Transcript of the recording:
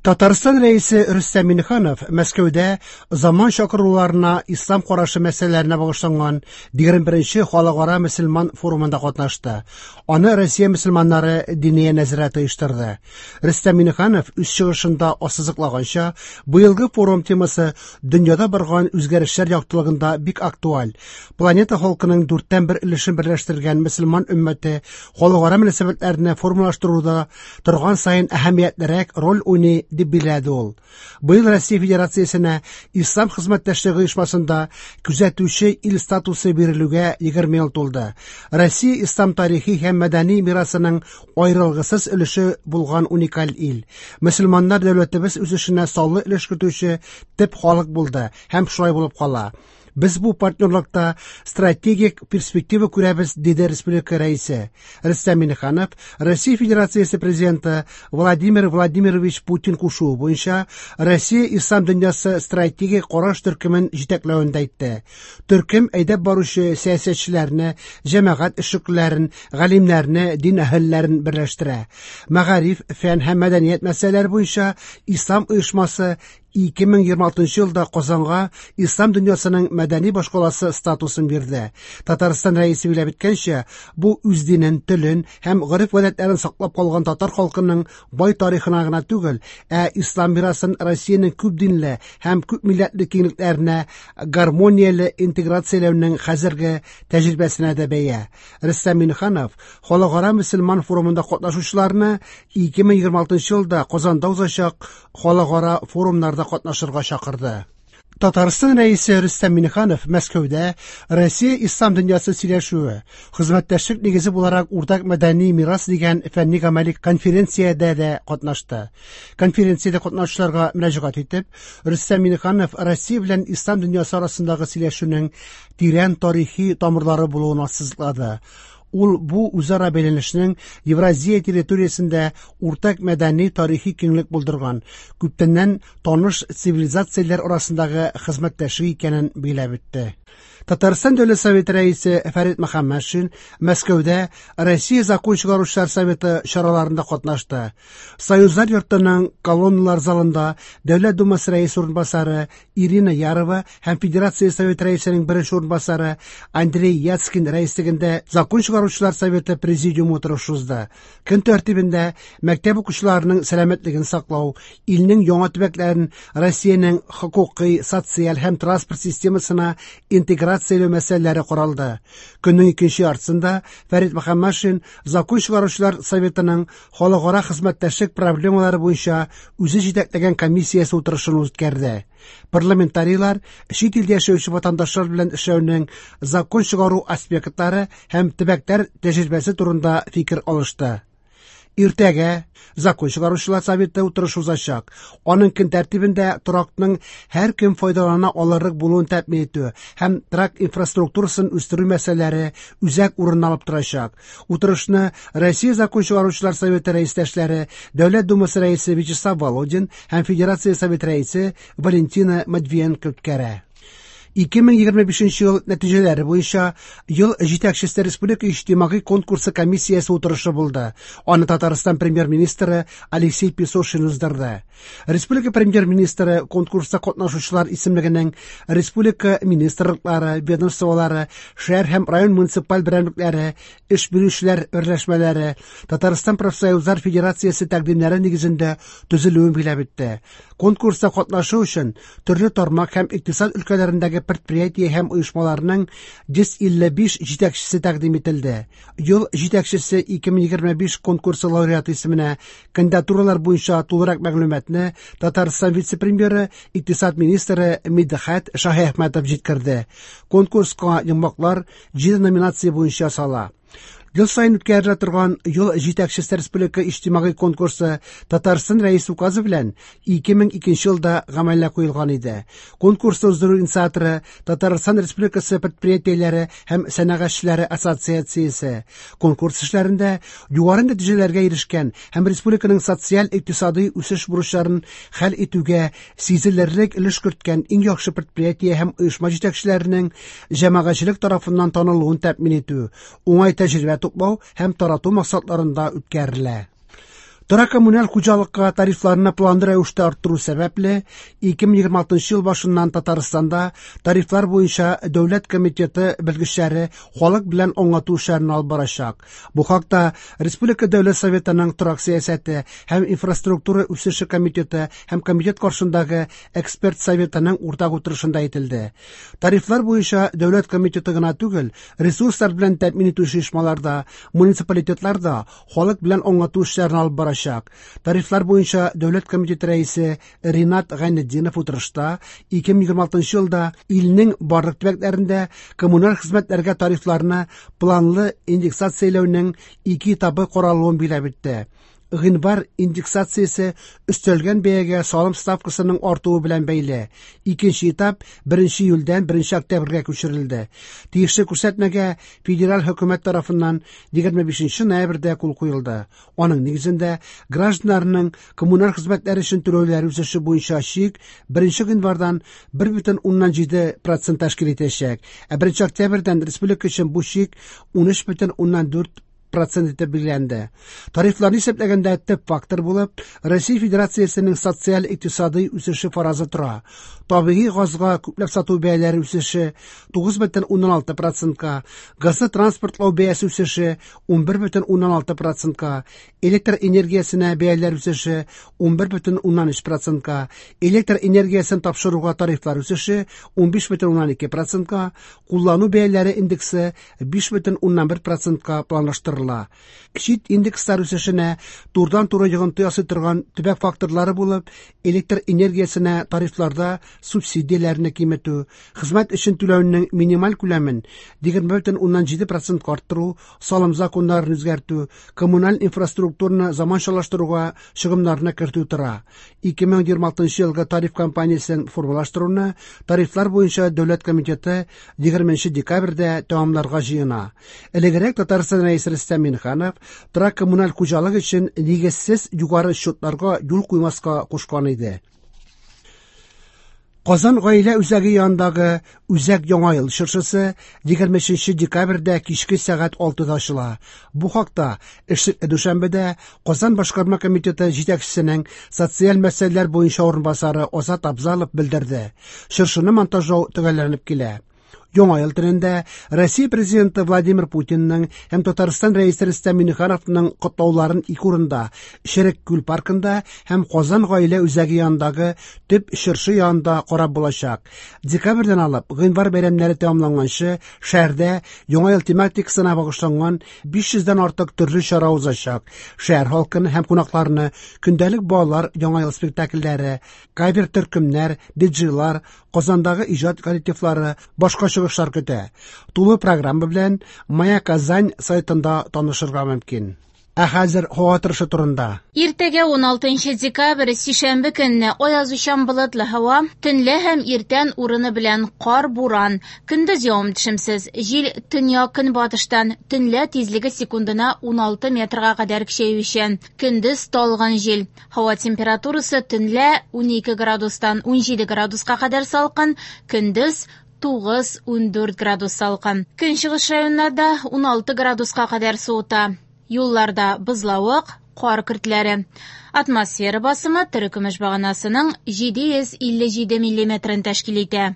Татарстан Рәисе Рөстәм Миңнеханов Мәскәүдә заман чакыруларына ислам карашы мәсьәләләренә багышланган 21нче халыкара мөселман форумында катнашты. Аны Россия мөселманнары Диния нәзарәте оештырды. Рөстәм Миңнеханов үз чыгышында ассызыклаганча, быелгы форум темасы дөньяда барган үзгәрешләр яктылыгында бик актуаль. Планета халкының дүрттән бер өлешен берләштергән мөселман өммәте халыкара мөнәсәбәтләрне формалаштыруда торган саен әһәмиятлерәк роль уйный, дип билгеләде ул. Быел Россия Федерациясенә Ислам хезмәттәшлеге оешмасында күзәтүче ил статусы бирелүгә 20 ел тулды. Россия ислам тарихи һәм мәдәни мирасының аерылгысыз өлеше булган уникаль ил. Мөселманнар дәүләтебез үсешенә саллы өлеш кертүче төп халык булды һәм шулай булып кала. Без бу партнерлыкта стратегик перспектива күрәбез, диде республика рәисе. Рөстәм Миңнеханов Россия Федерациясе президенты Владимир Владимирович Путин кушуы буенча Россия ислам дөньясы стратегик караш төркемен җитәкләвен дә әйтте. Төркем әйдәп баручы сәясәтчеләрне, җәмәгать эшлеклеләрен, галимнәрне, дин әһелләрен берләштерә. Мәгариф, фән һәм мәдәният мәсьәләләре буенча ислам оешмасы 2026 елда Казанга ислам дөньясының мәдәни башкаласы статусын бирде. Татарстан рәисе билгеләп үткәнчә, бу үз динен, телен һәм гореф-гадәтләрен саклап калган татар халкының бай тарихына гына түгел, ә ислам мирасын Россиянең күп динле һәм күп милләтле киңлекләренә гармонияле интеграцияләүнең хәзерге тәҗрибәсенә дә бәя. Рөстәм Миңнеханов Халыкара мөселман форумында катнашучыларны 2026 елда Казанда узачак халыкара форумнарда катнашырга чакырды. Татарстан Рәисе Рөстәм Миңнеханов Мәскәүдә Россия ислам дөньясы сөйләшүе, хезмәттәшлек нигезе буларак уртак мәдәни мирас дигән фәнни-гамәли конференциядә дә катнашты. Конференциядә катнашучыларга мөрәҗәгать итеп, Рөстәм Миңнеханов Россия белән ислам дөньясы арасындагы сөйләшүнең тирән тарихи тамырлары булуын ассызыклады. Ул бу үзара бәйләнешнең Евразия территориясендә уртак мәдәни тарихи киңлек булдырган, күптәннән таныш цивилизацияләр арасындагы хезмәттәшлек икәнен билгеләп үтте. Татарстан Дәүләт Советы рәисе Фәрит Мөхәммәтшин Мәскәүдә Россия Закон чыгаручылар советы чараларында катнашты. Союзлар йортының колонналар залында Дәүләт Думасы рәисе урынбасары Ирина Ярова һәм Федерация Советы рәисенең беренче урынбасары Андрей Яцкин рәислегендә Закон чыгаручылар советы президиумы утырышы узды. Көн тәртибендә мәктәп укучыларының сәламәтлеген саклау, илнең яңа төбәкләрен Россиянең хокукый, социаль һәм транспорт системасына интеграцияләү мәсьәләләре каралды. Көннең икенче яртысында Фәрит Мөхәммәтшин Закон чыгаручылар советының халыкара хезмәттәшлек проблемалары буенча үзе җитәкләгән комиссиясе утырышын үткәрде. Парламентарийлар чит илдә яшәүче ватандашлар белән эшләүнең закон чыгару аспектлары һәм төбәкләр тәҗрибәсе турында фикер алышты. Иртәгә закон чыгаручылар советы утырышы узачак. Аның көн тәртибендә торакның һәркем файдалана алырлык булуын тәэмин итү һәм торак инфраструктурасын үстерү мәсьәләләре үзәк урын алып торачак. Утырышны Россия Закон чыгаручылар советы рәистәшләре, Дәүләт Думасы рәисе Вячеслав Володин һәм Федерация Советы рәисе Валентина Матвиенко үткәрә. 2025 ел нәтиҗәләре буенча ел җитәкчесе республика иҗтимагый конкурсы комиссиясе утырышы булды. Аны Татарстан премьер-министры Алексей Песошин уздырды. Республика премьер-министры конкурста катнашучылар исемлегенең республика министрлыклары, ведомстволары, шәһәр һәм район муниципаль берәмлекләре, эш бирүчеләр берләшмәләре, Татарстан профсоюзлар федерациясе тәкъдимнәре нигезендә төзелүен билгеләп үтте. Конкурста катнашу өчен төрле тармак һәм икътисад өлкәләрендәге предприятие һәм оешмаларның 155 җитәкчесе тәкъдим ителде. Ел җитәкчесе 2025 конкурсы лауреаты исеменә кандидатуралар буенча тулырак мәгълүматны Татарстан вице-премьеры, икътисад министры Мидхәт Шаһиәхмәтов җиткерде. Конкурска йомгаклар 7 номинация буенча ясала. Ел саен үткәрелә торган Ел җитәкчесе республика иҗтимагый конкурсы Татарстан Рәисе указы белән 2002 елда гамәлгә куелган иде. Конкурсны уздыру инициаторы Татарстан Республикасы предприятиеләре һәм сәнәгатьчеләре ассоциациясе. Конкурс эшләрендә югары нәтиҗәләргә ирешкән һәм республиканың социаль-икътисадый үсеш бурычларын хәл итүгә сизелерлек өлеш керткән иң яхшы предприятие һәм оешма җитәкчеләренең җәмәгатьчелек тарафыннан танылуын тәэмин итү, уңай тәҗрибә туплау һәм тарату максатларында үткәрелә. Торак-коммуналь хуҗалыкка тарифларны планлы рәвештә арттыру сәбәпле, 2026 ел башыннан Татарстанда тарифлар буенча дәүләт комитеты белгечләре халык белән аңлату эшләрен алып барачак. Бу хакта Республика Дәүләт Советының торак сәясәте һәм инфраструктура үсеше комитеты һәм комитет каршындагы эксперт советының уртак утырышында әйтелде. Тарифлар буенча дәүләт комитеты гына түгел, ресурслар белән тәэмин итүче оешмалар да, муниципалитетлар да халык белән аңлату эшләрен алып барачак. Тарифлар буенча дәүләт комитеты рәисе Ринат Гайнетдинов утырышта 2026 елда илнең барлык төбәкләрендә коммуналь хезмәтләргә тарифларны планлы индексацияләүнең ике этабы каралуын билгеләп үтте. Гыйнвар индексациясе өстәлгән бәягә салым ставкасының артуы белән бәйле. Икенче этап 1 июльдән 1 октябрьгә күчерелде. Тиешле күрсәтмәгә федераль хөкүмәт тарафыннан 25 ноябрьдә кул куелды. Аның нигезендә гражданнарның коммуналь хезмәтләр өчен түләүләре үсеше буенча чик 1 гыйнвардан 1,7% тәшкил итәчәк, ә 1 октябрьдән республика өчен бу чик 13,4 процент итеп билгеләнде. Тарифларны исәпләгәндә төп фактор булып Россия Федерациясенең социаль-икътисадый үсеше фаразы тора. Табигый газга күпләп сату бәяләре үсеше 9,6 процентка, газны транспортлау бәясе үсеше 11,6 процентка, электр энергиясенә бәяләр үсеше 11,3 процентка, электр энергиясен тапшыруга тарифлар үсеше 15,2 процентка, куллану бәяләре индексы 5,1 процентка планлаштырыла. Чит индекслар үсешенә турыдан-туры йогынты ясый торган төбәк факторлары булып электр энергиясенә тарифларда субсидияләрне киметү, хезмәт өчен түләүнең минималь күләмен 20,7 процентка арттыру, салым законнарын үзгәртү, коммуналь инфраструктураны заманчалаштыруга чыгымнарны кертү тора. 2026 елгы тариф кампаниясен формалаштыруны тарифлар буенча дәүләт комитеты 20 декабрьдә тәмамларга җыена. Элегрәк Татарстан Рәисе Рөстәм Миңнеханов торак коммуналь хуҗалык өчен нигезсез югары счетларга юл куймаска кушкан иде. Казан гаилә үзәге янындагы Үзәк Яңа ел чыршысы 23 декабрьдә кичке сәгать 6-да ачыла. Бу хакта эшлекле дүшәмбедә Казан башкарма комитеты җитәкчесенең социаль мәсьәләләр буенча урынбасары Азат Абзалов белдерде. Чыршыны монтажлау төгәлләнеп килә. Яңа ел төнендә Россия президенты Владимир Путинның һәм Татарстан рәисе Рөстәм Миңнехановның котлауларын ике урында Черек күл паркында һәм Казан гаилә үзәге янындагы төп чыршы янында карап булачак. Декабрьдән алып гыйнвар бәйрәмнәре тәмамланганчы шәһәрдә Яңа ел тематикасына багышланган 500дән артык төрле чара узачак. Шәһәр халкын һәм кунакларны көндәлек балалар Яңа ел спектакльләре, кавер төркемнәр, диджейлар, Казандагы иҗат коллективлары, башка чыгышлар көтә. Тулы программа белән Моя Казань сайтында танышырга мөмкин. Ә хәзер һава торышы турында. Иртәгә 16 декабрь, сишәмбе көнне аязучан болытлы һава, төнлә һәм иртән урыны белән кар, буран, көндез явым-төшемсез, җил төньяк-көнбатыштан, төнлә тизлеге секундына 16 метрга кадәр көчәючән, көндез талгын җил. Һава температурасы төнлә 12 градустан 17 градуска кадәр салкын, көндез 9-14 градус салкын. Көнчыгыш районнарда 16 градуска кадәр суыта. Юлларда бозлавык, кар көртләре. Атмосфера басымы терекөмеш баганасының 757 миллиметрын тәшкил итә.